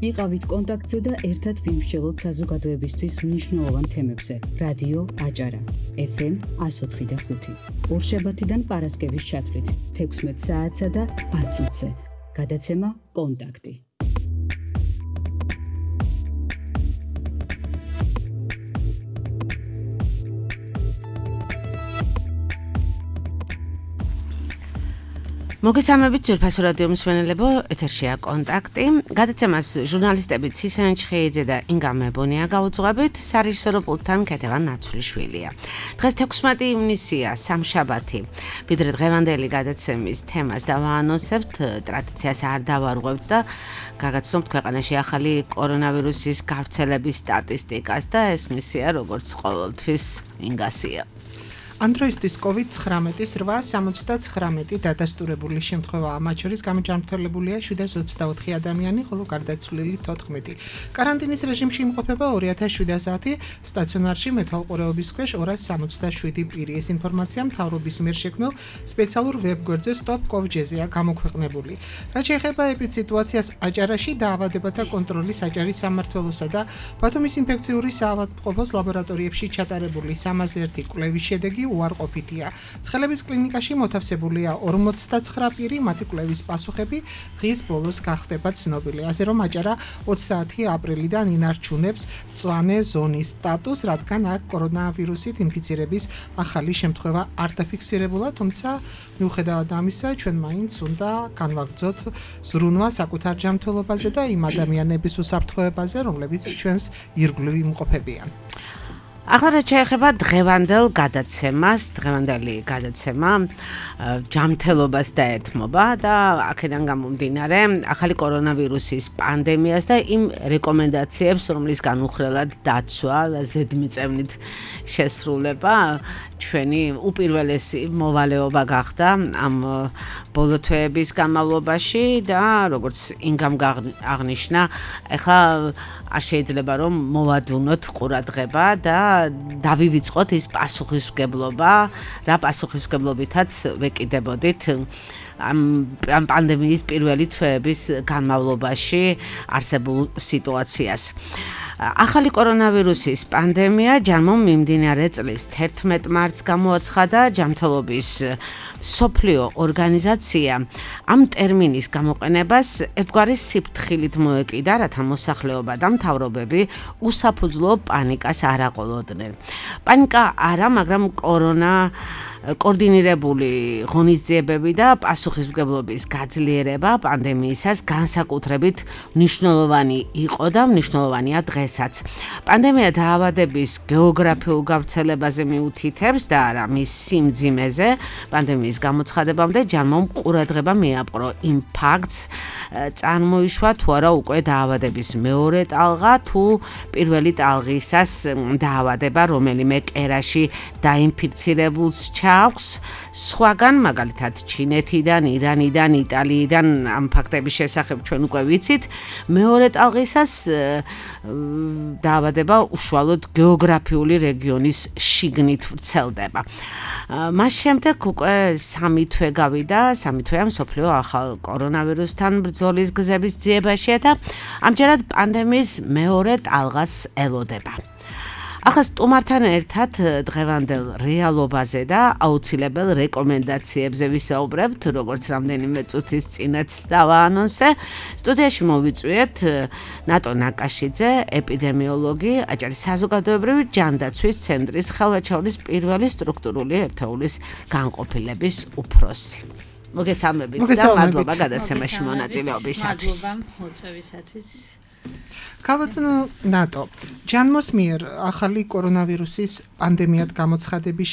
იყავით კონტაქტზე და ერთად ვიმსჯელოთ საზოგადოებისთვის მნიშვნელოვან თემებზე. რადიო აჭარა, FM 104.5. ორშაბათიდან პარასკევის ჩათვლით 16 საათსა და 10 წუთზე. გადაცემა კონტაქტი. მოგესალმებით ძვირფასო რადიო მსმენელებო, ეთერშია კონტაქტი. გადაცემას ჟურნალისტები ცისენ ჩხეიძე და ინგა მებონია გაუძღვებით, სარეჟისორო პულტთან კეთევან ნაცვლიშვილია. დღეს 16 ივნისია, სამშაბათი. ვიდრე დღევანდელი გადაცემის თემას დავაანონსებთ, ტრადიციას არ დავარღვევთ და გაგაცნობთ ქვეყანაში ახალი კორონავირუსის გავრცელების სტატისტიკას და ეს მისია როგორც ყოველთვის ინგასია. Androidis COVID-19-ის 879 დადასტურებული შემთხვევაა, მათ შორის გამოჯანმრთელებულია 724 ადამიანი, ხოლო გარდაცვლილი 14. Კარანტინის რეჟიმში იმყოფება 2700, სტაციონარში მეთვალყურეობის ქვეშ 267 პირი. ეს ინფორმაცია მთავრობის მიერ შექმნილ სპეციალურ ვებგვერდზე stop.gov.gr-ზეა გამოქვეყნებული. რაც შეეხება ეპიდსიტუაციას აჭარაში, დაავადებათა კონტროლის აჭარის სამმართველოსა და ბათუმის ინფექციური საავადმყოფოს ლაბორატორიებში ჩატარებული 301 კვლევის შედეგი უარყოფითია. ცხელების კლინიკაში მოთავსებულია 49 პირი, მათი კვლევის პასუხები დღის ბოლოს გახდება ცნობილი. ასე რომ აჭარა 30 აპრილიდან ინარჩუნებს მწვანე ზონის სტატუსს, რადგან აქ კორონავირუსით ინფიცირების ახალი შემთხვევა არ დაფიქსირებულა, თუმცა მიუხედავად ამისა, ჩვენ მაინც უნდა განვაგრძოთ ზრუნვა საკუთარ ჯანმრთელობაზე და იმ ადამიანების უსაფრთხოებაზე, რომლებიც ჩვენს ირგვლივ იმყოფებიან. ახლა რაც შეეხება დღევანდელ გადაცემას, დღევანდელი გადაცემა ჯანმრთელობას დაეთმობა და აქედან გამომდინარე ახალი კორონავირუსის პანდემიას და იმ რეკომენდაციებს, რომლის განუხრელად დაცვა და ზედმიწევნით შესრულება ჩვენი უპირველესი მოვალეობა გახდა ამ ბოლო თვეების განმავლობაში და როგორც ინგამ აღნიშნა, ახლა არ შეიძლება რომ მოვადუნოთ ყურადღება და დავივიწყოთ ის პასუხისმგებლობა, რა პასუხისმგებლობითაც ვეკიდებოდით ამ პანდემიის პირველი თვეების განმავლობაში არსებულ სიტუაციას. ახალი კორონავირუსის პანდემია ჯანმომ მიმდინარე წლის 11 მარტს გამოაცხადა ჯანმრთელობის მსოფლიო ორგანიზაცია ამ ტერმინის გამოყენებას ერთგვარი სიფრთხილით მოეკიდა, რათა მოსახლეობა და მთავრობები უსაფუძვლო პანიკას არ აყოლოდნენ. პანიკა არა, მაგრამ კოორდინირებული ღონისძიებები და პასუხისმგებლობის გაძლიერება პანდემიისას განსაკუთრებით მნიშვნელოვანი იყო და მნიშვნელოვანია დღესაც. პანდემია დაავადების გეოგრაფიულ გავრცელებაზე მიუთითებს და არა მის სიმძიმეზე. პანდემიის გამოცხადებამდე ჯანმომ ყურადღება მიაპყრო იმ ფაქტს, წარმოიშვა თუ არა უკვე დაავადების მეორე ტალღა თუ პირველი ტალღისას დაავადება რომელიმე კერაში დაინფიცირებულს აქვს. სხვაგან, მაგალითად ჩინეთიდან, ირანიდან, იტალიიდან ამ ფაქტების შესახებ ჩვენ უკვე ვიცით. მეორე ტალღისას დაავადება უშუალოდ გეოგრაფიული რეგიონის შიგნით ვრცელდება. მას შემდეგ უკვე 3 თვე გავიდა, 3 თვეა მსოფლიო ახალ კორონავირუსთან ბრძოლის გზების ძიებაშია და ამჯერად პანდემიის მეორე ტალღას ელოდება. ახლა სტუმართან ერთად დღევანდელ რეალობაზე და აუცილებელ რეკომენდაციებზე ვისაუბრებთ, როგორც რამდენიმე წუთის წინაც დავაანონსე. სტუდიაში მოვიწვიეთ ნატო ნაკაშიძე, ეპიდემიოლოგი, აჭარის საზოგადოებრივი ჯანდაცვის ცენტრის ხელვაჩაურის პირველი სტრუქტურული ერთეულის განყოფილების უფროსი. მოგესალმებით და მადლობა გადაცემაში მონაწილეობისათვის. მადლობა მოწვევისათვის. ქალბატონო ნატო, ჯანმოს მიერ ახალი კორონავირუსის პანდემიად გამოცხადების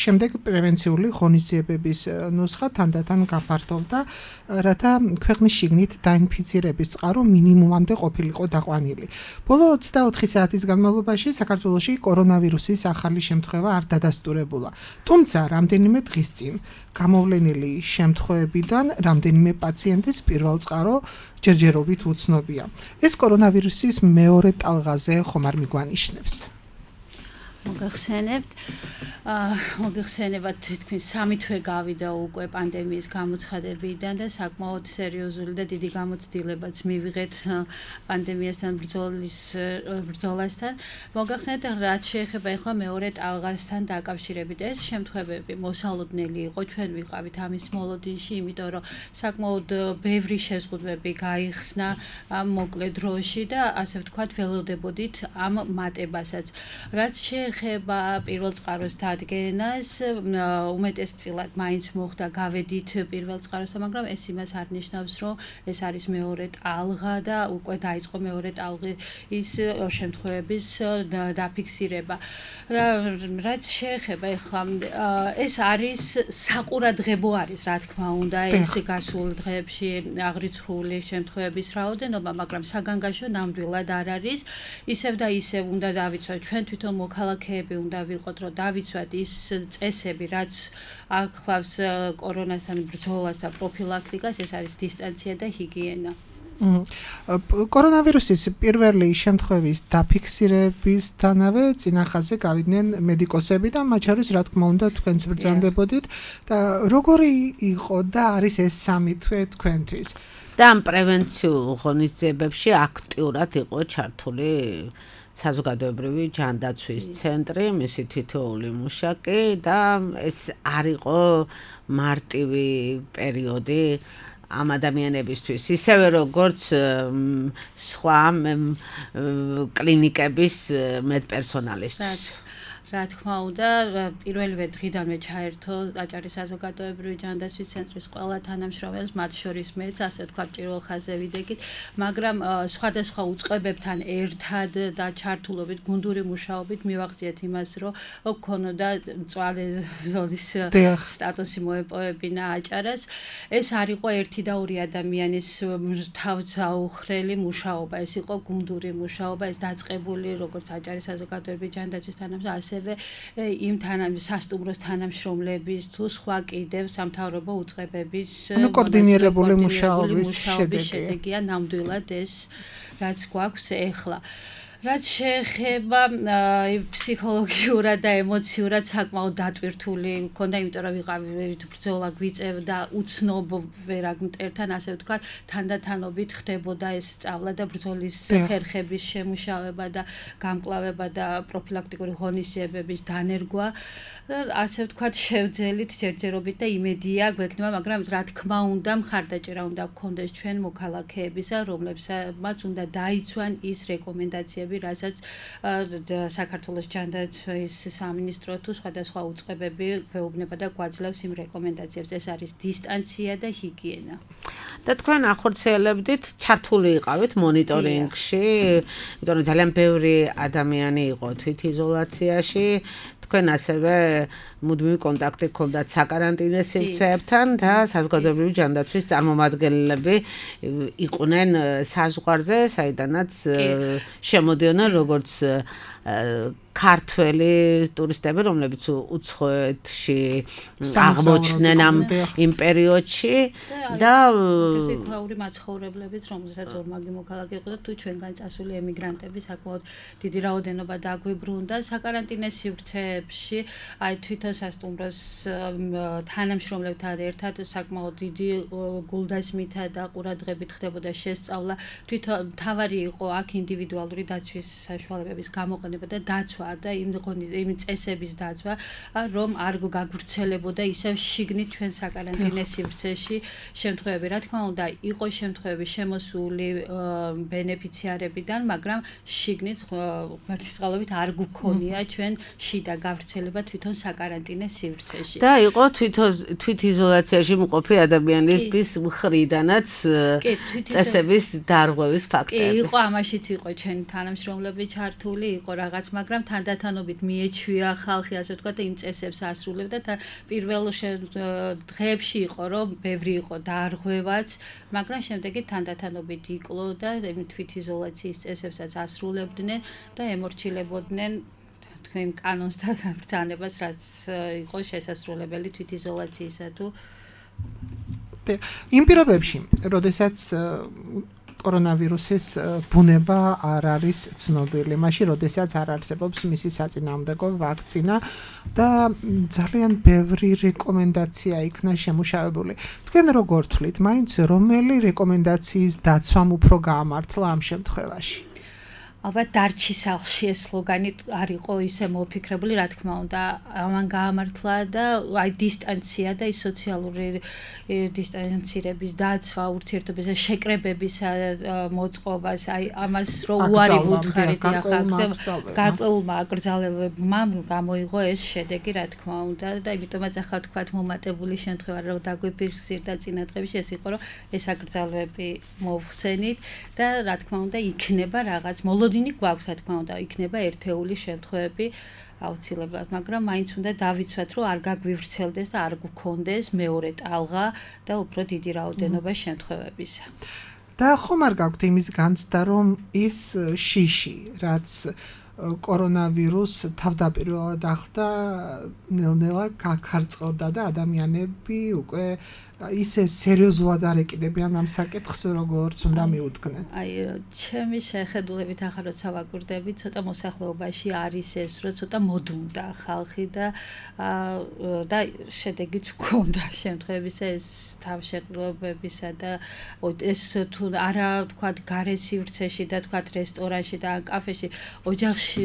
შემდეგ პრევენციული ღონისძიებების ნუსხა თანდათან გაფართოვდა, რათა ქვეყნის შიგნით დაინფიცირების წყარო მინიმუმამდე ყოფილიყო დაყვანილი. ბოლო 24 საათის განმავლობაში საქართველოში კორონავირუსის ახალი შემთხვევა არ დადასტურებულა. თუმცა რამდენიმე დღის წინ გამოვლენილი შემთხვევებიდან რამდენიმე პაციენტის პირველ წყარო ჯერჯერობით უცნობია. ეს კორონავირუსის მეორე ტალღაზე ხომ არ მიგვანიშნებს? მოგეხსენებათ თითქმის 3 თვე გავიდა უკვე პანდემიის გამოცხადებიდან და საკმაოდ სერიოზული და დიდი გამოცდილებაც მივიღეთ პანდემიასთან ბრძოლასთან. მოგახსენეთ, რაც შეეხება ახლა მეორე ტალღასთან დაკავშირებით, ეს შემთხვევები მოსალოდნელი იყო, ჩვენ ვიყავით ამის მოლოდინში, იმიტომ რომ საკმაოდ ბევრი შეზღუდვები გაიხსნა მოკლე დროში და ასე ვთქვათ, ველოდებოდით ამ მატებასაც. რაც შეეხება პირველ წყაროს დადგენას, უმეტესწილად მაინც მოხდა გავედით პირველ წყაროსთან, მაგრამ ეს იმას არ ნიშნავს, რომ ეს არის მეორე ტალღა და უკვე დაიწყო მეორე ტალღის შემთხვევების დაფიქსირება. რაც შეეხება ახლა ეს არის საყურადღებო არის, რა თქმა უნდა, ეს გასულ დღეებში აღრიცხული შემთხვევების რაოდენობა, მაგრამ საგანგაშო ნამდვილად არ არის. ისევ და ისევ უნდა დავიცვათ, ჩვენ თვითონ მოქალაქეები უნდა ვიყოთ, რომ დავიცვათ ის წესები, რაც ახლავს კორონასთან ბრძოლას და პროფილაქტიკას, ეს არის დისტანცია და ჰიგიენა. კორონავირუსის პირველი შემთხვევის დაფიქსირებისთანავე წინახაზე გავიდნენ მედიკოსები და მათ შორის, რა თქმა უნდა, თქვენც ბრძანდებოდით და როგორი იყო და არის ეს 3 თვე თქვენთვის? და ამ პრევენციულ ღონისძიებებში აქტიურად იყო ჩართული საზოგადოებრივი ჯანდაცვის ცენტრი, მისი თითოეული მუშაკი და ეს არ იყო მარტივი პერიოდი ამ ადამიანებისთვის, ისევე როგორც სხვა კლინიკების მედპერსონალისთვის. რა თქმა უნდა, პირველივე დღიდანვე ჩაერთო აჭარის საზოგადოებრივი ჯანდაცვის ცენტრის ყველა თანამშრომელს, მათ შორის მეც, ასე ვთქვათ, პირველ ხაზზე ვიდექით, მაგრამ სხვადასხვა უწყებებთან ერთად და ჩართულობით, გუნდური მუშაობით მივახციეთ იმას, რომ გქონოდა მწვავე ზოლის სტატუსი მოეპოვებინა აჭარას. ეს არ იყო ერთი და ორი ადამიანის თავდაუხრელი მუშაობა, ეს იყო გუნდური მუშაობა, ეს დაწყებული როგორც აჭარის საზოგადოებრივი ჯანდაცვის თანამშრომელი, იმ სასტუმროს თანამშრომლების თუ სხვა კიდევ სამთავრობო უწყებების კოორდინირებული მუშაობის შედეგია ნამდვილად ეს, რაც გვაქვს ეხლა. რაც შეეხება ფსიქოლოგიურად და ემოციურად საკმაოდ დატვირთული მქონდა, იმიტომ რომ ვიყავით ბრძოლა გვიწევდა უცნობ ვერაგ მტერთან, ასე ვთქვათ, თანდათანობით ხდებოდა ეს სწავლა და ბრძოლის ხერხების შემუშავება და გამკლავება და პროფილაქტიკური ღონისძიებების დანერგვა. ასე ვთქვათ, შევძელით ჯერჯერობით და იმედია გვექნება, მაგრამ რა თქმა უნდა, მხარდაჭერა უნდა გქონდეს ჩვენ მოქალაქეებისა, რომლებსაც უნდა დაიცვან ის რეკომენდაციები, რასაც საქართველოს ჯანდაცვის სამინისტრო თუ სხვადასხვა უწყებები გვეუბნება და გვაძლევს იმ რეკომენდაციებს. ეს არის დისტანცია და ჰიგიენა. და თქვენ ახორციელებდით, ჩართული იყავით მონიტორინგში, იმიტომ რომ ძალიან ბევრი ადამიანი იყო თვითიზოლაციაში. თქვენ ასევე მუდმივი კონტაქტი გქონდათ საკარანტინო სივრცეებთან და საზოგადოებრივი ჯანდაცვის წარმომადგენლები იყვნენ საზღვარზე, საიდანაც შემოდიოდნენ როგორც ქართველი ტურისტები, რომლებიც უცხოეთში აღმოჩნდნენ იმ პერიოდში და ფაური მაცხოვრებლებით, რომელსაც ორმაგი მოქალაქე იყო და თუ ჩვენგან წასული ემიგრანტები საკმაოდ დიდი რაოდენობა დაგვიბრუნდა საკარანტინო სივრცეებში, აი თვითონ სასტუმროს თანამშრომლებთან ერთად საკმაოდ დიდი გულდასმითა და ყურადღებით ხდებოდა შესწავლა. თვითონ თავარი იყო აქ ინდივიდუალური დაცვის საშუალებების გამოყენება და დაცვა და იმ წესების დაცვა, რომ არ გაგვვრცელებოდა ისევ შიგნით ჩვენ საკარანტინო სივრცეში შემთხვევები. რა თქმა უნდა, იყო შემთხვევები შემოსული ბენეფიციარებიდან, მაგრამ შიგნით ღმერთის წყალობით არ გვქონია ჩვენ შიდა გავრცელება თვითონ საკარანტინო სივრცეში. და იყო თვითიზოლაციაში მყოფი ადამიანების მხრიდანაც წესების დარღვევის ფაქტები. იყო ამაშიც იყო ჩვენი თანამშრომლები ჩართული, იყო რაღაც, მაგრამ თანდათანობით მიეჩვია ხალხი, ასე ვთქვათ, და იმ წესებს ასრულებდა და პირველ დღეებში იყო, რომ ბევრი იყო დარღვევაც, მაგრამ შემდეგი თანდათანობით იკლო და თვითიზოლაციის წესებსაც ასრულებდნენ და ემორჩილებოდნენ თქვენ კანონს და ბრძანებას, რაც იყო შესაძლებელი თვითიზოლაციისა თუ იმ პირობებში, როდესაც კორონავირუსის ბუნება არ არის ცნობილი. მაშინ, როდესაც არ არსებობს მისი საწინააღმდეგო ვაქცინა და ძალიან ბევრი რეკომენდაცია იქნა შემუშავებული. თქვენ როგორ თვლით, მაინც რომელი რეკომენდაციის დაცვამ უფრო გაამართლა ამ შემთხვევაში? ალბათ დარჩი სახლში ეს სლოგანი არ იყო ისე მოფიქრებული, რა თქმა უნდა, ამან გაამართლა და აი დისტანცია და ის სოციალური დისტანცირების დაცვა, ურთიერთობისა, შეკრებების მოწყობას, აი ამას რო უარი ვუთხარით გარკვეულმა აკრძალებებმა გამოიღო ეს შედეგი, რა თქმა უნდა, და იმიტომაც ახლა თქვათ მომატებული შემთხვევა რომ დაგვიფიქსირდა წინა დღეებში ეს იყო რომ ეს აკრძალებები მოვხსენით და რა თქმა უნდა იქნება რაღაც დინი გვაქვს, რა თქმა უნდა, იქნება ერთეული შემთხვევები აუცილებლად, მაგრამ მაინც უნდა დავიცვათ, რომ არ გაგვივრცელდეს და არ გქონდეს მეორე ტალღა და უფრო დიდი რაოდენობა შემთხვევებისა. და ხომ არ გაქვთ იმის განცდა, რომ ის შიში, რაც კორონავირუს თავდაპირველად ახდა, ნელ-ნელა გაქარწყლდა და ადამიანები უკვე ისე სერიოზულად არ ეკიდებიან ამ საკითხს, როგორც უნდა მიუდგნენ. აი, ჩემი შეხედულებით ახლა როცა ვაკვირდები, ცოტა მოსახლეობაში არის ეს, რომ ცოტა მოდუნდა ხალხი და შედეგიც გქონდა შემთხვევებისა ეს თავშეყრილობებისა და ეს თუ არა თქვათ გარე სივრცეში და თქვათ რესტორანში და კაფეში,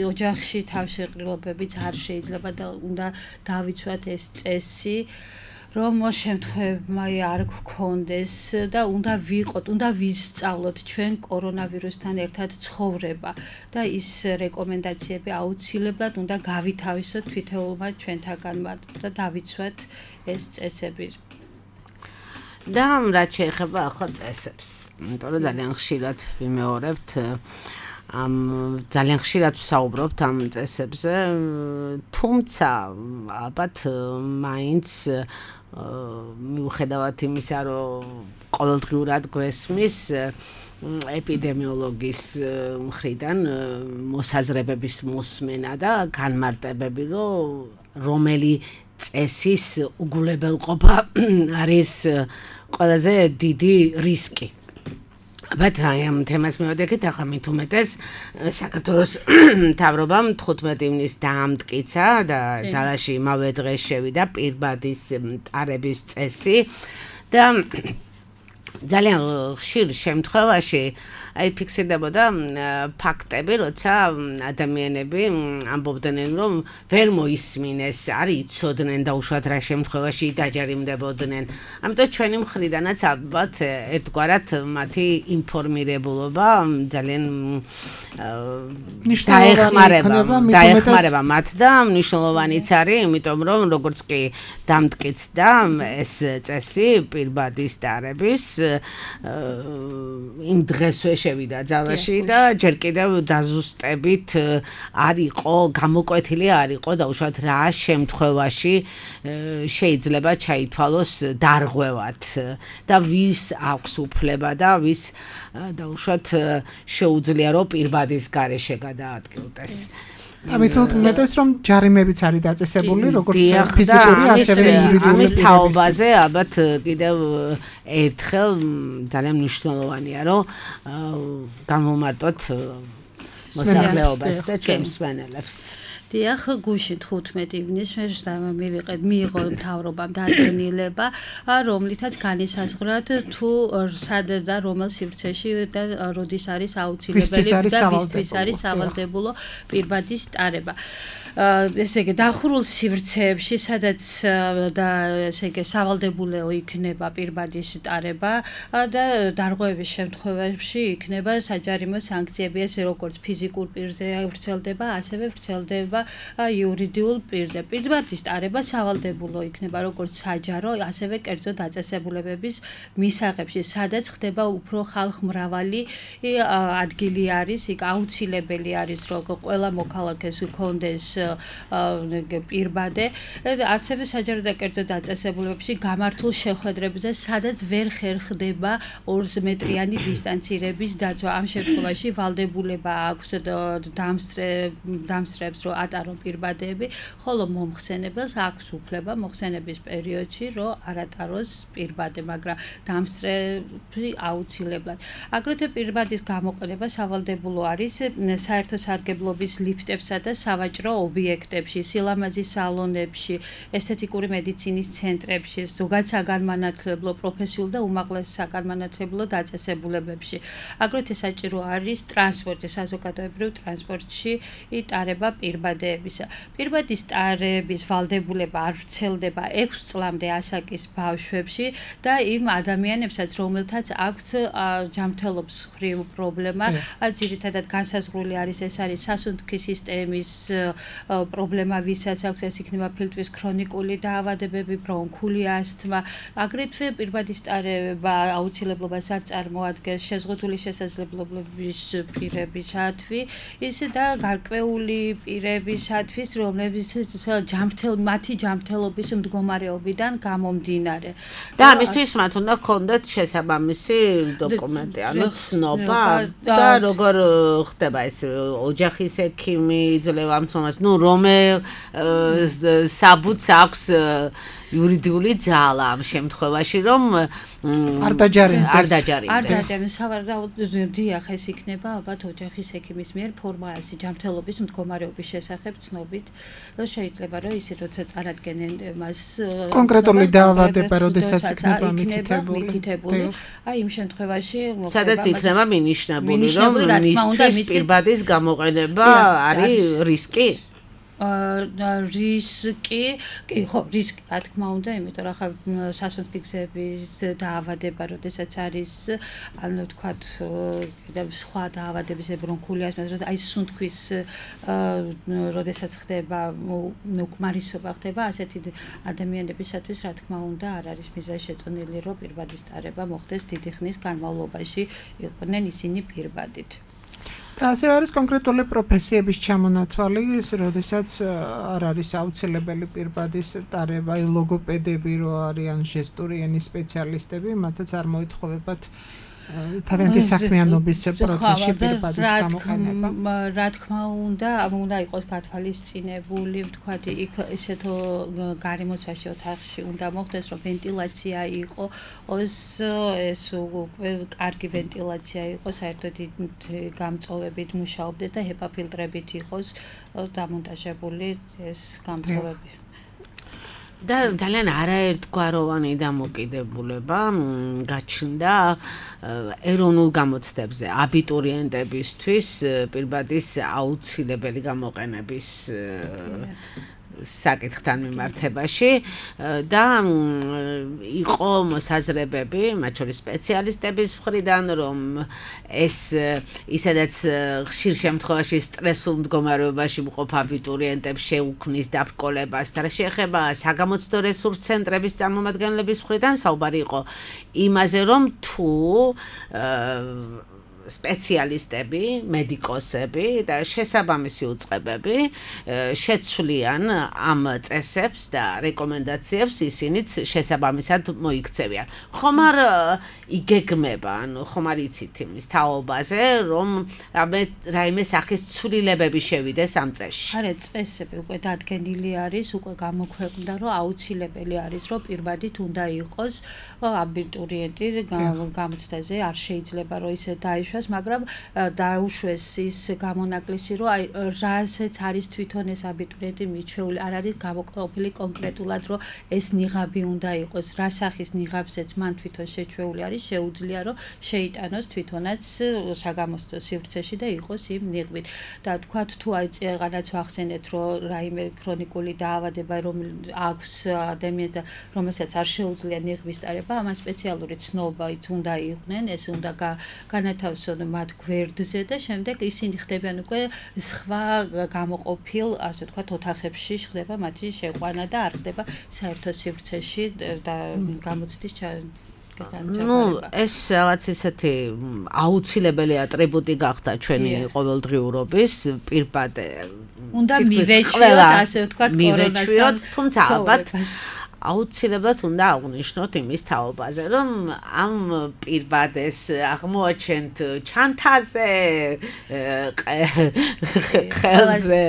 ოჯახში თავშეყრილობებიც არ შეიძლება და უნდა დავიცვათ ეს წესი. რომ შემთხვევებმა არ გქონდეს და უნდა ვიყოთ, უნდა ვისწავლოთ ჩვენ კორონავირუსთან ერთად ცხოვრება და ის რეკომენდაციები აუცილებლად უნდა გავითავისოთ თითოეულმა ჩვენთაგანმა და დავიცვათ ეს წესები. და რაც შეეხება ახლა წესებს, იმიტომ რომ ძალიან ხშირად ვიმეორებთ ძალიან ხშირად ვსაუბრობთ ამ წესებზე, თუმცა ალბათ მაინც მიუხედავად იმისა, რომ ყოველდღიურად გვესმის ეპიდემიოლოგის მხრიდან მოსაზრებების მოსმენა და განმარტებები, რომელი წესის უგულებელყოფა არის ყველაზე დიდი რისკი. But I am თემას მივადგეთ ახლა მით უმეტეს საქართველოს მთავრობამ 15 ივნისს დაამტკიცა და ძალაში იმავე დღეს შევიდა პირბადის ტარების წესი და ძალიან ხშირ შემთხვევაში აი ფიქსირდებოდა ფაქტები, როცა ადამიანები ამბობდნენ, რომ ვერ მოისმინეს, არ იცოდნენ და უშუალოდ რა შემთხვევაში დაჯერიმდებოდნენ. ამიტომ ჩვენი მხრიდანაც ალბათ ერთგვარად მათი ინფორმირებულობა ძალიან დაეხმარება მათ და მნიშვნელოვანიც არის, იმიტომ რომ როგორც კი დამტკიცდა ეს წესი პირბადის ტარების იმ დღესვე შევიდა ძალაში და ჯერ კიდევ დაზუსტებით არ იყო გამოკვეთილი არ იყო და უშუალოდ რა შემთხვევაში შეიძლება ჩაითვალოს დარღვევად და ვის აქვს უფლება და ვის და უშუალოდ შეუძლია რომ პირბადის გარეშე გადაადგილდეს. ამიტომ მეტეს რომ ჯარიმებიც არის დაწესებული როგორც ფიზიკური ასევე იურიდიული ამის თაობაზე ალბათ კიდევ ერთხელ ძალიან მნიშვნელოვანია რომ გამომარტოთ მოსახლეობას და ჩვენს მსმენელებს. დიახ, გუშინ 15 ივნისს მიიღო მთავრობამ დადგენილება, რომლითაც განისაზღვრათ თუ სად და რომელ სივრცეში და როდის არის აუცილებელი და ვისთვის არის სავალდებულო პირბადის ტარება. ესე იგი დახურულ სივრცეებში, სადაც და ესე იგი სავალდებულო იქნება პირბადის ტარება და დარღვევების შემთხვევაში იქნება საჯარიმო სანქციები, ეს როგორც ფიზიკურ პირზე ვრცელდება, ასევე ვრცელდება იურიდიულ პირზე. პირბადის ტარება სავალდებულო იქნება როგორც საჯარო, ასევე კერძო დაწესებულებების მისაღებში, სადაც ხდება უფრო ხალხმრავალი ადგილი არის, იქ აუცილებელი არის, რომ ყველა მოქალაქეს ჰქონდეს პირბადე, ასევე საჯარო და კერძო დაწესებულებებში გამართულ შეხვედრებზე, სადაც ვერ ხერხდება 2 მეტრიანი დისტანცირების დაცვა. ამ შემთხვევაში ვალდებულება აქვს დამსწრებს რომ ატარონ პირბადეები, ხოლო მომხსენებელს აქვს უფლება მოხსენების პერიოდში რომ არ ატაროს პირბადე, მაგრამ დამსწრები აუცილებლად. აგრეთვე პირბადის გამოყენება სავალდებულო არის საერთო სარგებლობის ლიფტებსა და სავაჭრო ობიექტებში, სილამაზის სალონებში, ესთეტიკური მედიცინის ცენტრებში, ზოგად საგანმანათლებლო, პროფესიულ და უმაღლეს საგანმანათლებლო დაწესებულებებში. აგრეთვე საჭირო არის ტრანსპორტი, საზოგადოებრივ ტრანსპორტში ტარება პირბადეებისა. პირბადის ტარების ვალდებულება არ ვრცელდება 6 წლამდე ასაკის ბავშვებში და იმ ადამიანებსაც, რომელთაც აქვთ ჯანმრთელობის მხრივ პრობლემა, ძირითადად განსაზღვრული არის, ეს არის სასუნთქი სისტემის პრობლემა, ვისაც აქვს, ეს იქნება ფილტვის ქრონიკული დაავადებები, ბრონქული ასთმა. აგრეთვე პირბადის ტარება აუცილებლობას არ წარმოადგენს შეზღუდული შესაძლებლობების პირებისათვის, ისე და გარკვეული პირებისათვის, რომლებიც მათი ჯანმრთელობის მდგომარეობიდან გამომდინარე. და ამისთვის მათ უნდა ჰქონდეთ შესაბამისი დოკუმენტი, ანუ ცნობა და როგორ ხდება ეს ოჯახის ექიმი იძლევა მცომას, რომელ საბუთს აქვს იურიდიული ძალა ამ შემთხვევაში, რომ არ დაჯარიმდეს. არ დაჯარიმდეს. დიახ, ეს იქნება ალბათ ოჯახის ექიმის მიერ ფორმალიზი ჯანმრთელობის მდგომარეობის შესახებ ცნობით. შეიძლება რომ ისე როცა წარადგენენ მას კონკრეტული დაავადება, როდესაც იქნება მითითებული. აი იმ შემთხვევაში სადაც იქნება მინიშნებული, რომ მისთვის პირბადის გამოყენება არის რისკი? რისკი, ხო, რისკი, რა თქმა უნდა, იმიტომ რომ ხა სასუნთქი გზების დაავადება, როდესაც არის, ანუ ვთქვათ, სხვა დაავადების, ბრონქული ასთმა, აი სუნთქვის, როდესაც ხდება უკმარისობა ხდება, ასეთი ადამიანებისათვის, რა თქმა უნდა, არ არის მიზანშეწონილი, რომ პირბადის ტარება მოხდეს დიდი ხნის განმავლობაში, იყვნენ ისინი პირბადით. და ასე არის კონკრეტული პროფესიების ჩამონათვალი, როდესაც არ არის აუცილებელი პირბადის ტარება, ლოგოპედები რო არიან, ჟესტური ენის სპეციალისტები, მათაც არ მოითხოვებათ თავიანთი საქმიანობის პროცესში პირბადის გამოყენება. რა თქმა უნდა, უნდა იყოს გათვალისწინებული, ვთქვათ, იქ ესეთო გარემოცვაში ოთახში უნდა მოხდეს, რომ ვენტილაცია იყოს, ეს უკვე კარგი ვენტილაცია იყოს, საერთოდ გამწოვებით მუშაობდეს და HEPA ფილტრებით იყოს დამონტაჟებული ეს გამწოვები. და ძალიან არაერთგვაროვანი დამოკიდებულება გაჩნდა ეროვნულ გამოცდებზე აბიტურიენტებისთვის პირბადის აუცილებელი გამოყენების საკითხთან მიმართებაში და იყო მოსაზრებები, მათ შორის სპეციალისტების მხრიდან, რომ ეს ისედაც ხშირ შემთხვევაში სტრესულ მდგომარეობაში მყოფ აბიტურიენტებს შეუქმნის დაბრკოლებას და შეეხება საგამოცდო რესურს ცენტრების წარმომადგენლების მხრიდან საუბარი იყო იმაზე, რომ თუ სპეციალისტები, მედიკოსები და შესაბამისი უწყებები შეცვლიან ამ წესებს და რეკომენდაციებს, ისინიც შესაბამისად მოიქცევიან. ხომ არ იგეგმება, ანუ ხომ არ იცით იმის თაობაზე, რომ რაიმე სახის ცვლილებები შევიდეს ამ წესში? არა, წესები უკვე დადგენილი არის, უკვე გამოქვეყნდა, რომ აუცილებელი არის, რომ პირბადით უნდა იყოს აბიტურიენტი გამოცდაზე, არ შეიძლება რომ ისე დაიშვას, მაგრამ დაუშვეს ის გამონაკლისი, რომ აი რასაც არის თვითონ ეს აბიტურიენტი მიჩვეული, არ არის გამოყოფილი კონკრეტულად, რომ ეს ნიღაბი უნდა იყოს, რა სახის ნიღაბზეც მან თვითონ შეჩვეული არის, შეუძლია რომ შეიტანოს თვითონაც საგამოცდო სივრცეში და იყოს იმ ნიღბით. და თქვათ თუ აი წეგანაც ვახსენეთ, რომ რაიმე ქრონიკული დაავადება აქვს ადამიანს და რომელსაც არ შეუძლია ნიღბის ტარება, ამან სპეციალური ცნობებით უნდა იყვნენ, ეს უნდა განათავსონ მათ გვერდზე და შემდეგ ისინი ხდებიან უკვე სხვა გამოყოფილ, ასე ვთქვათ, ოთახებში ხდება მათი შეყვანა და არ ხდება საერთო სივრცეში და გამოცდის ეს რაღაც ისეთი აუცილებელი ატრიბუტი გახდა ჩვენი ყოველდღიურობის პირბადე. უნდა მივეჩვიოთ, ასე ვთქვათ, კორონასთან, თუმცა ალბათ აუცილებლად უნდა აღვნიშნოთ იმის თაობაზე, რომ ამ პირბადეს აღმოაჩენთ ჩანთაზე, ხელზე,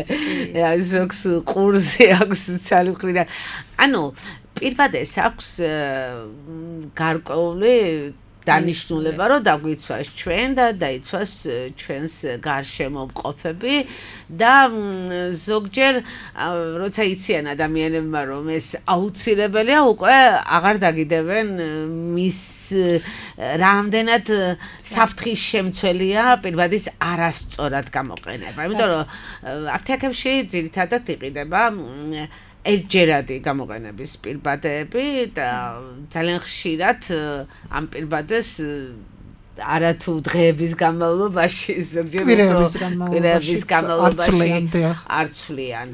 ზოგს ყურზე აქვს სოციალური მხრიდან. ანუ პირბადეს აქვს გარკვეული დანიშნულება, რომ დაგვიცვას ჩვენ და დაიცვას ჩვენს გარშემო მყოფები და ზოგჯერ როცა იციან ადამიანებმა რომ ეს აუცილებელია, უკვე აღარ დაგიდებენ მის რამდენად საფრთხის შემცველია პირბადის არასწორად გამოყენება. იმიტომ რომ აფთიაქებში ძირითადად იყიდება ერთჯერადი გამოყენების პირბადები და ძალიან ხშირად ამ პირბადას არათუ დღეების განმავლობაში ზოგჯერ კვირების განმავლობაში არცვლიან.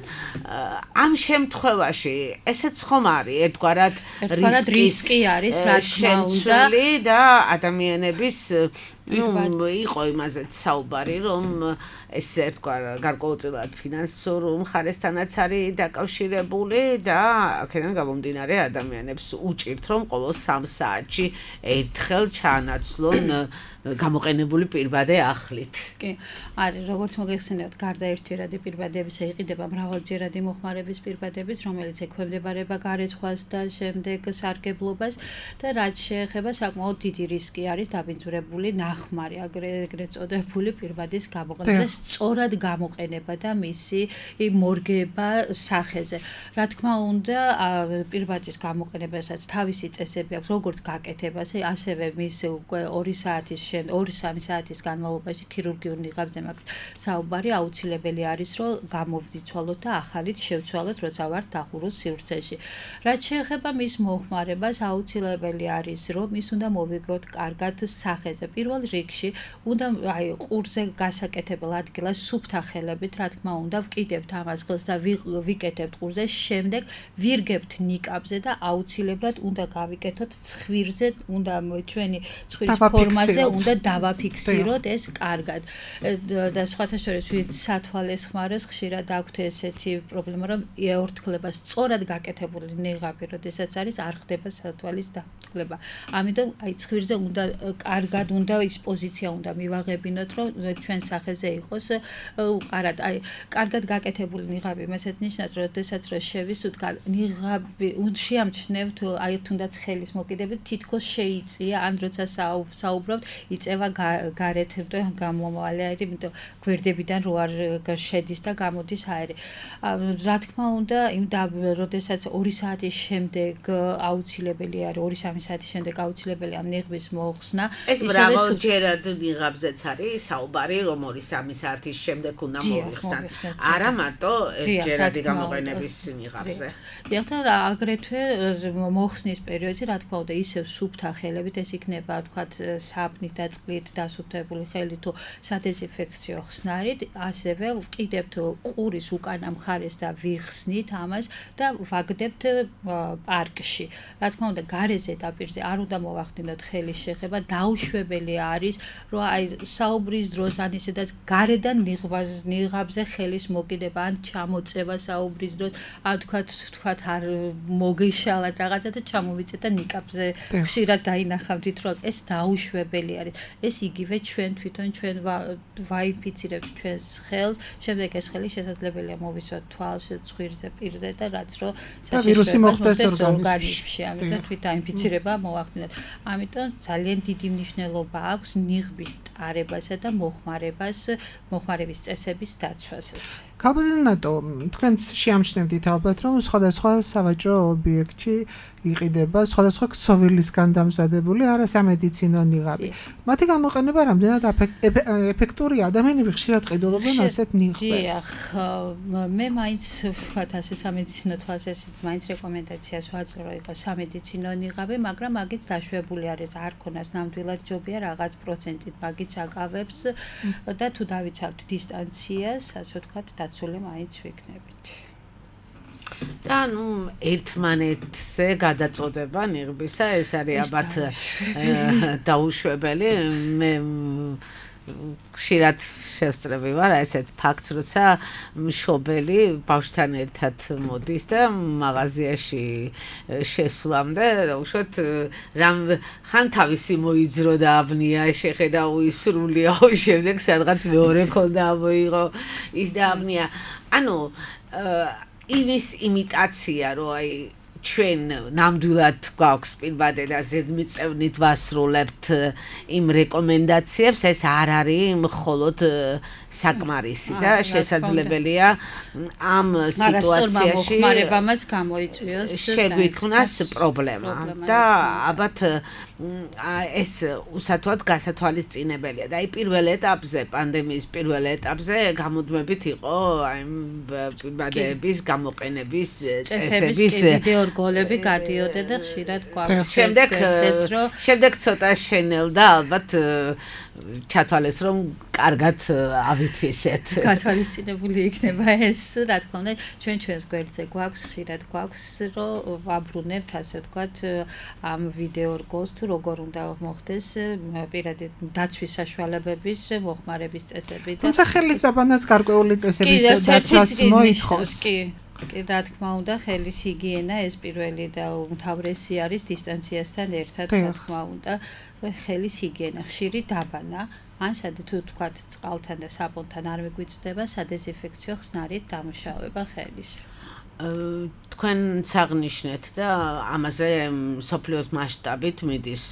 ამ შემთხვევაში ესეც ხომ არის ერთგვარად რისკი არის, რა თქმა უნდა და ადამიანების იყო იმაზეც საუბარი, რომ ეს ერთგვარ გარკვეულწილად ფინანსურ მხარესთანაც არის დაკავშირებული და აქედან გამომდინარე ადამიანებს უჭირთ, რომ ყოველ 3 საათში ერთხელ ჩაანაცვლონ გამოყენებული პირბადე ახლით. კი, არის, როგორც მოგეხსენებათ, გარდა ერთჯერადი პირბადებისა იყიდება მრავალჯერადი მოხმარების პირბადებიც, რომელიც ექვემდებარება გარეცხვას და შემდეგ სარგებლობას და რაც შეეხება საკმაოდ დიდი რისკი არის დაბინძურებული ნახმარი, აგრეთვე წოდებული პირბადის გამოყენება და სწორად გამოყენება და მისი მორგება სახეზე. რა თქმა უნდა, პირბადის გამოყენებასაც თავისი წესები აქვს, როგორც გაკეთებას, ასევე მის უკვე 2-3 საათის განმავლობაში ქირურგიულ ნიღაბზე მაქვს საუბარი, აუცილებელი არის, რომ გამოვძიცვალოთ და ახალით შევცვალოთ, როცა ვართ დახურულ სივრცეში. რაც შეეხება მის მოხმარებას, აუცილებელი არის, რომ ის უნდა მოვიგოთ კარგად სახეზე. პირველ რიგში უნდა ყურზე გასაკეთებელ ადგილას სუფთა ხელებით, რა თქმა უნდა, ვკიდებთ ამას ხელს და ვიკეთებთ ყურზე, შემდეგ ვირგებთ ნიკაბზე და აუცილებლად უნდა გავიკეთოთ ცხვირზე, უნდა ჩვენი ცხვირის ფორმაზე უნდა დავაფიქსიროთ ეს კარგად. და სხვათა შორის ვით სათვალეს ხმარეს ხშირად აქვთ ესეთი პრობლემა, რომ ეორთქლება სწორად გაკეთებული ნიღაბი, როდესაც არის არ ხდება სათვალის დაორთქლება. ამიტომ აი ცხვირზე უნდა კარგად უნდა ის პოზიცია უნდა მივაღებინოთ, რომ ჩვენ სახეზე იყოს ყარად. აი კარგად გაკეთებული ნიღაბი მეცეთ ნიშნავს, როდესაც რომ შევისვით ნიღაბი შეამჩნევთ აი თუნდაც ხელის მოკიდებით თითქოს შეიწია, ან როცა საუბრობთ იწევა გარეთ გამომავალი აირი, იმიტომ გვერდებიდან რო არ შედის და გამოდის აირი. რა თქმა უნდა, როდესაც 2 საათის შემდეგ აუცილებელი არის, 2-3 საათის შემდეგ აუცილებელია ნიღბის მოხსნა. ეს მრავალჯერად ნიღაბზეც არის საუბარი, რომ 2-3 საათის შემდეგ უნდა მოიხსნათ. არა მარტო ერთჯერადი გამოყენების ნიღაბზე. დიახ, და აგრეთვე მოხსნის პერიოდში, რა თქმა უნდა, ისევ სუფთა ხელებით, ეს იქნება, ვთქვათ, საფნით და წყლით დასუფთებული ხელი თუ სადეზინფექციო ხსნარით, ასევე ვკიდებთ ყურის უკანა მხარეს და ვიხსნით ამას და ვაგდებთ პარკში. რა თქმა უნდა, გარე ზედაპირზე არ უნდა მოვახდინოთ ხელის შეხება, დაუშვებელი არის, რომ აი საუბრის დროს ან ისედაც გარედან ნიღაბზე ხელის მოკიდება ან ჩამოწევა საუბრის დროს, ან თქვათ არ მოგეშალათ რაღაცა და ჩამოვიწეთ და ნიკაბზე ხშირად დაინახავთ, რომ ეს დაუშვებელი არის. ეს იგივე ჩვენ თვითონ ჩვენ ვაინფიცირებთ ჩვენს ხელს, შემდეგ ეს ხელი შესაძლებელია მოვიცვათ თვალში, ცხვირზე, პირზე და რაც რომ ვირუსი მოხვდეს ორგანიზმში. ამიტომ თვით დაინფიცირება მოვახდინოთ. ამიტომ ძალიან დიდი მნიშვნელობა აქვს ნიღბის ტარებასა და მოხმარების წესების დაცვასაც. ქალბატონო, თქვენც შეამჩნევდით ალბათ, რომ სხვადასხვა სავაჭრო ობიექტში იყიდება სხვადასხვა ქსოვილისგან დამზადებული არასამედიცინო ნიღაბი. მათი გამოყენება რამდენად ეფექტურია? ადამიანები ხშირად ყიდულობენ ასეთ ნიღბებს. დიახ, მე მაინც ვთქვათ ასე სამედიცინო თვალსაზრისით მაინც რეკომენდაციას ვაძლევ, რომ იყოს სამედიცინო ნიღაბი, მაგრამ მაგით დაშვებული არის, არ ქონას ნამდვილად ჯობია რაღაც პროცენტით მაგით აკავებს და თუ დავიცავთ დისტანციას, ასე ვთქვათ, დაცული მაინც ვიქნებით. და ერთმანეთზე გადაწოდება ნიღბისა, ეს არის ალბათ დაუშვებელი. მე ხშირად შევსწრები ვარ ესეთ ფაქტს, როცა მშობელი ბავშვთან ერთად მოდის და მაღაზიაში შესვლამდე, უშუალოდ რამ ხან თავისი მოიძრო და აბნია, შეხედა უისრულია, შემდეგ სადღაც მეორე ქონდა მოიღო ის და აბნია. ანუ იმის იმიტაცია, რომ აი ჩვენ ნამდვილად გვაქვს პირბადე და ზედმიწევნით ვასრულებთ იმ რეკომენდაციებს, ეს არ არის მხოლოდ საკმარისი და შესაძლებელია ამ სიტუაციაში მოხმარებამაც გამოიწვიოს შეგვიქმნას პრობლემა და ალბათ ეს უსათუოდ გასათვალისწინებელია და აი პირველ ეტაპზე, პანდემიის პირველ ეტაპზე გამოდმებით იყო აი პირბადეების გამოყენების წესების გოლები გადიოდა და ხშირად გვაქვს შემდეგ ცოტა შენელდა ალბათ ჩათვალეს რომ კარგად ავითვისეთ. გათვალისწინებული იქნება ეს, რა თქმა უნდა, ჩვენს გვერდზე გვაქვს, ხშირად გვაქვს, რომ ვაბრუნებთ, ასე ვთქვათ, ამ ვიდეო რგოლს თუ როგორ უნდა მოხდეს პირადი დაცვის საშუალებების მოხმარების წესები და თუმცა ხელის დაბანაც გარკვეული წესების დაცვას მოითხოვს. კი, რა თქმა უნდა, ხელის ჰიგიენა ეს პირველი და უმთავრესი არის დისტანციასთან ერთად, რა თქმა უნდა, ხელის ჰიგიენა, ხშირი დაბანა, ან თუ თქვათ წყალთან და საბონთან არ მიგვიწვდება სადეზინფექციო ხსნარით დამუშავება ხელის. თქვენ საღნიშნეთ და ამაზე სოფლიოს მასშტაბით მიდის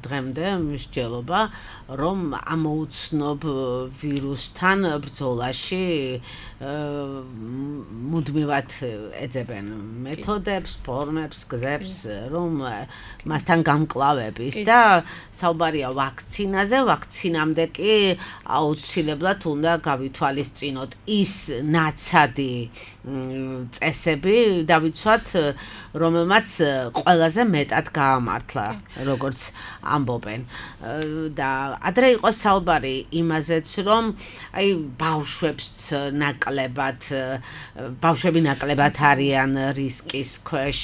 დღემდე მსჯელობა, რომ ამოუცნობ ვირუსთან ბრძოლაში მუდმივად ეძებენ მეთოდებს, ფორმებს, გზებს, რომ მასთან გამკლავების და საუბარია ვაქცინაზე, ვაქცინამდე კი აუცილებლად უნდა გავითვალისწინოთ ის ნაცადი წესები დავიცვათ, რომელმაც ყველაზე მეტად გაამართლა, როგორც ამბობენ. და ადრე იყო საუბარი იმაზეც, რომ აი ბავშვებს ბავშვები ნაკლებად არიან რისკის ქვეშ.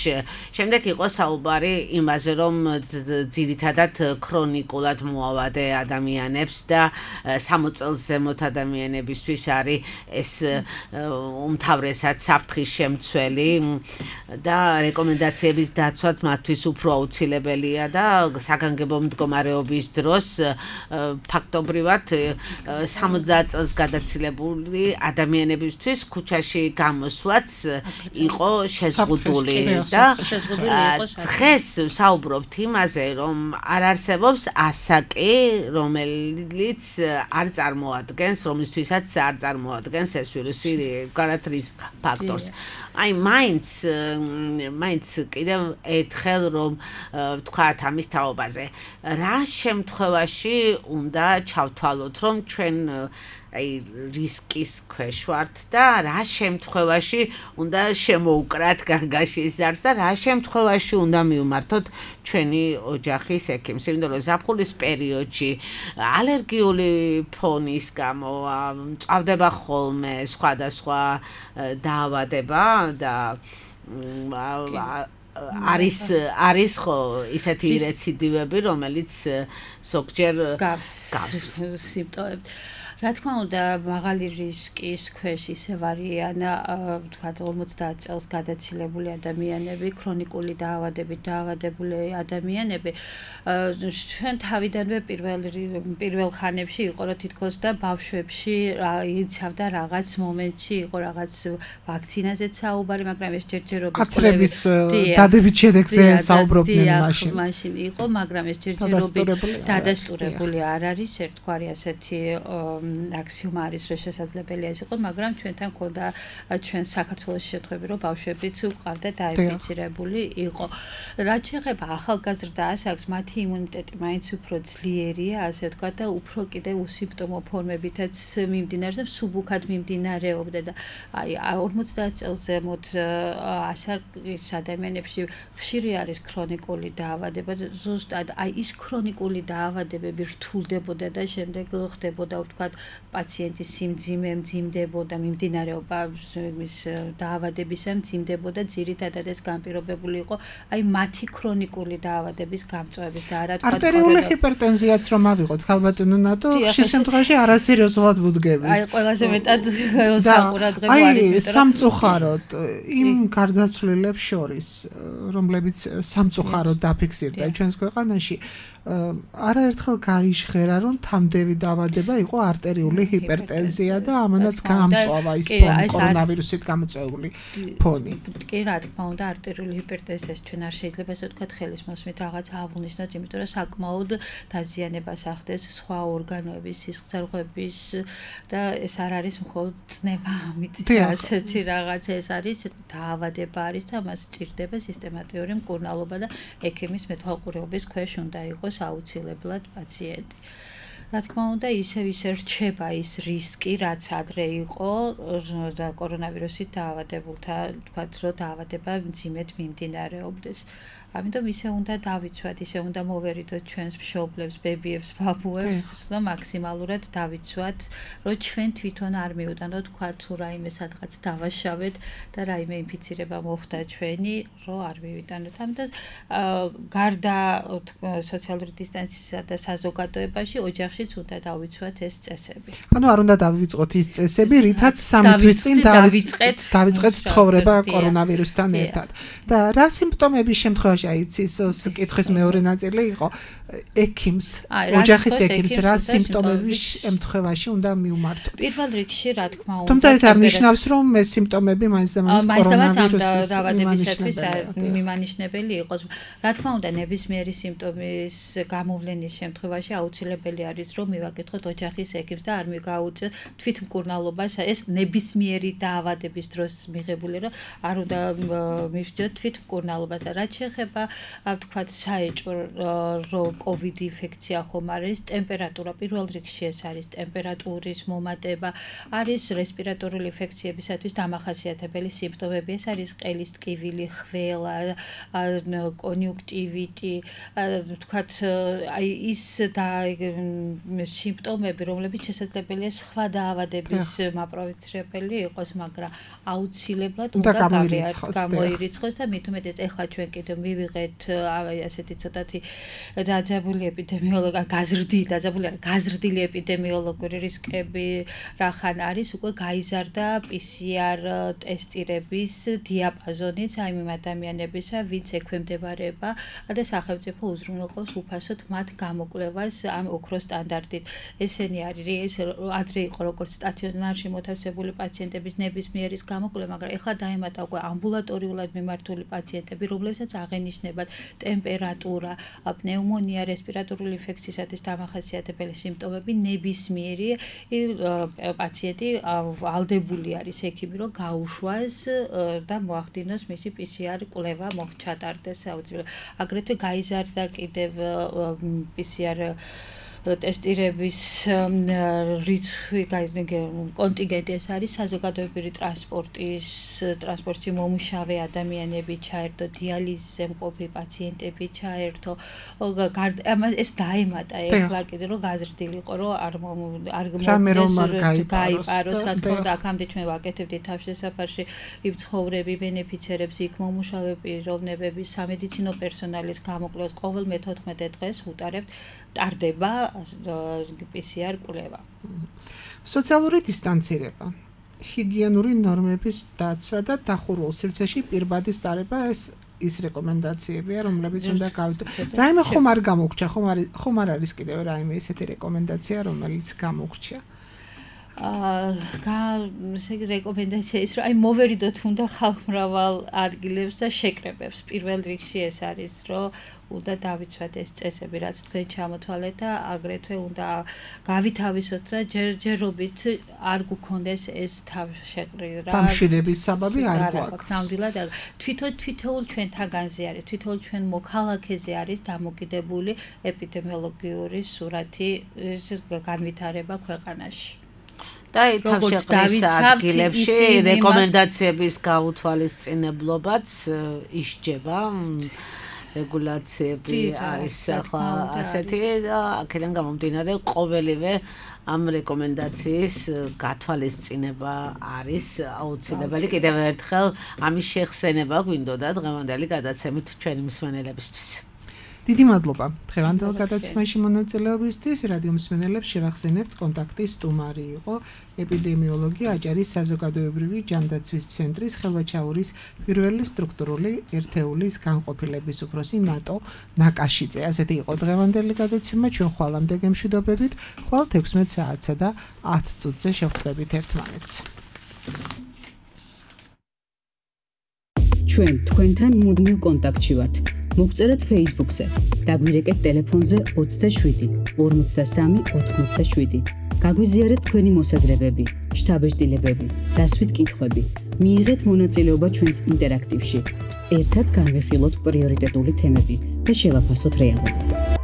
შემდეგ იყო საუბარი იმაზე, რომ ძირითადად ქრონიკულად მოავადე ადამიანებს და 60 წელს ზემოთ ადამიანებისთვის არის ეს უმთავრესად საფრთხის შემცველი და რეკომენდაციების დაცვაც მათთვის უფრო აუცილებელია და საგანგებო მდგომარეობის დროს ფაქტობრივად 60 წელს გადაცილებული ადამიანებისთვის ქუჩაში გამოსვლაც იყო შეზღუდული და დღეს ვსაუბრობთ იმაზე, რომ არ არსებობს ასაკი, რომელიც არ წარმოადგენს, რომლისთვისაც არ წარმოადგენს ეს ვირუსი გარეთ რისკ ფაქტორს. აი მაინც კიდევ ერთხელ რომ ვთქვათ ამის თაობაზე, რა შემთხვევაში უნდა ჩავთვალოთ, რომ ჩვენ აი რისკის ქვეშ ვართ და რა შემთხვევაში უნდა შემოუკრათ განგაშის ზარს და რა შემთხვევაში უნდა მივმართოთ ჩვენი ოჯახის ექიმს, იმიტომ რომ ზაფხულის პერიოდში ალერგიული ფონის გამო მწვავდება ხოლმე სხვადასხვა დაავადება და არის ხო ისეთი რეციდივები, რომელიც ზოგჯერ გავს სიმპტომები. რა თქმა უნდა, მაღალი რისკის ქვეშ ისევ არიან, ვთქვათ, 50 წელს გადაცილებული ადამიანები, ქრონიკული დაავადებით დაავადებული ადამიანები. ჩვენ თავიდანვე პირველ ხანებში იყო, რომ თითქოს და ბავშვებში იცავდა რაღაც მომენტში, იყო რაღაც ვაქცინაზეც საუბარი, მაგრამ ეს ჯერჯერობით კაცრების დადებით შედეგზე საუბრობდნენ მაშინ. მაშინ იყო, მაგრამ ეს ჯერჯერობით დადასტურებული არ არის, ერთგვარი ასეთი აქსიომა არის, რომ შესაძლებელია ეს იყო, მაგრამ ჩვენთან ქონდა ჩვენ საქართველოს შეხვედრები, რომ ბავშვებიც უყავდა დაინფიცირებული იყო. რაც შეეხება ახალგაზრდა ასაკს, მათი იმუნიტეტი მაინც უფრო ძლიერია, ასე ვთქვათ, და უფრო კიდევ უსიმპტომო ფორმებითაც მიმდინარეობს და მსუბუქად მიმდინარეობდა და აი 50 წელს ზემოთ ასაკის ადამიანებში ხშირი არის ქრონიკული დაავადება და ზუსტად აი ის ქრონიკული დაავადებები რთულდებოდა და შემდეგ ხდებოდა, ვთქვათ, პაციენტის სიმძიმე მძიმდებოდა, მიმდინარეობა მის დაავადებისა მძიმდებოდა, ძირითადად ეს განპირობებული იყო აი მათი ქრონიკული დაავადების გამწვავების და არა თქვა არტერიული ჰიპერტენზიაც რომ ავიღოთ, ხალბატონო ნატო, ხშირ შემთხვევაში არასერიოზულად ვუდგებით. აი ყველაზე მეტად საყურადღებო არის სამწუხაროდ იმ გარდაცვლილებს შორის, რომლებიც სამწუხაროდ დაფიქსირდა ჩვენს ქვეყანაში, არაერთხელ გაიჟღერა, რომ თამდევი დაავადება იყო არტერიული ჰიპერტენზია და ამანაც გაამწვავა ის კორონავირუსით გამოწვეული ფონი. კი, რა თქმა უნდა, არტერიული ჰიპერტენზიას ჩვენ არ შეიძლება ესე ვთქვათ ხელის მოსმით რაღაცა აღვნიშნოთ, იმიტომ რომ საკმაოდ დაზიანებას ახდენს სხვა ორგანოების, სისხლძარღვების და ეს არ არის მხოლოდ წნევა ამით, ასეთი რაღაც ეს არის დაავადება არის და მას სჭირდება სისტემატიური მკურნალობა და ექიმის მეთვალყურეობის ქვეშ უნდა იყოს აუცილებლად პაციენტი. რა თქმა უნდა, ისევ რჩება ის რისკი, რაც ადრე იყო და კორონავირუსით დაავადებულთა, თქვათ, რომ დაავადება მძიმედ მიმდინარეობდეს. ამიტომ ისე უნდა დავიცვათ, ისე უნდა მოვერიდოთ ჩვენს მშობლებს, ბებიებს, ბაბუებს, რომ მაქსიმალურად დავიცვათ, რომ ჩვენ თვითონ არ მივუტანოთ, თქვათ, თუ რაიმე სადღაც დავაშავეთ და რაიმე ინფიცირება მოხდა ჩვენი, რომ არ მივიტანოთ. ამიტომ გარდა სოციალური დისტანციისა და საზოგადოებაში, ოჯახშიც უნდა დავიცვათ ეს წესები. ანუ არ უნდა დავიწყოთ ის წესები, რითაც 3 თვის წინ დავიწყეთ ცხოვრება კორონავირუსთან ერთად. და რა სიმპტომების შემთხვევაში აიცის კითხვის მეორე ნაწილი იყო ექიმს, ოჯახის ექიმს რა სიმპტომების შემთხვევაში უნდა მიუმართოთ. პირველ რიგში რა თქმა უნდა. თუმცა ეს არ ნიშნავს, რომ ეს სიმპტომები მაინც და მაინც კორონავირუსის დაავადებისათვის მიმანიშნებელი იყოს. რა თქმა უნდა, ნებისმიერი სიმპტომის გამოვლენის შემთხვევაში აუცილებელი არის, რომ მივაკითხოთ ოჯახის ექიმს და არ მიგაუწიოთ თვითმკურნალობას, ეს ნებისმიერი დაავადების დროს მიღებული, რომ არ უნდა მივსჯოთ თვითმკურნალობას და რაც შეეხება ვთქვათ საეჭვო რომ COVID ინფექცია ხომ არის, ტემპერატურა პირველ რიგში ეს არის ტემპერატურის მომატება, არის რესპირატორული ინფექციებისათვის დამახასიათებელი სიმპტომები, ეს არის ყელის ტკივილი, ხველა, კონიუნქტივიტი, ვთქვათ აი ის სიმპტომები, რომლებიც შესაძლებელია სხვა დაავადების მაპროვოცირებელი იყოს, მაგრამ აუცილებლად უნდა გამოირიცხოს და მით უმეტეს ეხლა ჩვენ კიდევ მივიღეთ ასეთი ცოტათი დაძაბული ეპიდემიოლოგი, გაზრდილი ეპიდემიოლოგიური რისკები რახან არის, უკვე გაიზარდა PCR ტესტირების დიაპაზონიც აი იმ ადამიანებისა, ვინც ექვემდებარება და სახელმწიფო უზრუნველყოფს უფასოდ მათ გამოკვლევას ამ ოქროს სტანდარტით. ესენი არის ადრე იყო როგორც სტაციონარში მოთავსებული პაციენტების ნებისმიერის გამოკვლევა, მაგრამ ეხლა დაემატა უკვე ამბულატორიულად მიმართული პაციენტები, რომლებსაც აღენიშნებათ ტემპერატურა, პნეუმონია, რესპირატორული ინფექციისათვის დამახასიათებელი სიმპტომები, ნებისმიერი პაციენტი ვალდებული არის ექიმი, რომ გაუშვას და მოახდინოს მისი PCR კვლევა ჩატარდეს აუცილებლად. აგრეთვე გაიზარდა კიდევ PCR ტესტირების რიცხვი, კონტინგენტი ეს არის საზოგადოებრივი ტრანსპორტში მომუშავე ადამიანები ჩაერთო, დიალიზზე მყოფი პაციენტები ჩაერთო. ეს დაემატა ეხლა კიდე რომ გაზრდილიყო, რომ არ გაიპაროს, რა თქმა უნდა, აქამდე ჩვენ ვაკეთებდით თავშესაფარში იმ ცხოვრები ბენეფიცერებს, იქ მომუშავე პიროვნებების, სამედიცინო პერსონალის გამოკვლევას ყოველ მე-14 დღეს უტარებთ, ტარდება PCR კვლევა. სოციალური დისტანცირება, ჰიგიენური ნორმების დაცვა და დახურულ სივრცეში პირბადის დარება ის რეკომენდაციებია, რომლებიც უნდა გავიტანოთ. რაიმე ხომ არ გამოგრჩა, ხომ არ არის კიდევ რაიმე ესეთი რეკომენდაცია, რომელიც გამოგრჩა? რეკომენდაცია ის, რომ აი მოვერიდოთ უნდა ხალხმრავალ ადგილებს და შეკრებებს. პირველ რიგში ეს არის, რომ უნდა დავიცვათ ეს წესები, რაც თქვენ ჩამოთვალეთ და აგრეთვე უნდა გავითავისოთ და ჯერჯერობით არ გქონდეს ეს თავშეკრება. დამშვიდების საბაბი არ გვაქვს. ნამდვილად არ. თვითონ ჩვენთაგანზე არის, თვითონ ჩვენ მოქალაქეზე არის დამოკიდებული ეპიდემიოლოგიური სურათი, განვითარება ქვეყანაში. და თავშეკრის ადგილებში რეკომენდაციების გაუთვალისწინებლობაც ისჯება. რეგულაციები არის ახლა ასეთი და აქედან გამომდინარე ყოველივე ამ რეკომენდაციის გათვალისწინება არის აუცილებელი. კიდევ ერთხელ ამის შეხსენება გვინდოდა დღევანდელი გადაცემით ჩვენი მსმენელებისთვის. დიდი მადლობა. დღევანდელ გადაცემაში მონაწილეობისთვის რადიო მსმენელებს შევახსენებთ კონტაქტის სტუმარი იყო ეპიდემიოლოგი აჭარის საზოგადოებრივი ჯანდაცვის ცენტრის ხელვაჩაურის პირველი სტრუქტურული ერთეულის განყოფილების უფროსი ნატო ნაკაშიძე. ასეთი იყო დღევანდელი გადაცემა. ჩვენ ხვალამდე გემშვიდობებით. ხვალ 16 საათსა და 10 წუთზე შევხვდებით ერთმანეთს. ჩვენ თქვენთან მუდმივ კონტაქტში ვართ. მოგწერეთ Facebook-ზე, დაგვირეკეთ ტელეფონზე 27 53 87. გაგვიზიარეთ თქვენი მოსაზრებები, შთაბეჭდილებები, დასვით კითხვები. მიიღეთ მონაწილეობა ჩვენს ინტერაქტივში. ერთად განვიხილოთ პრიორიტეტული თემები და შევაფასოთ რეალობა.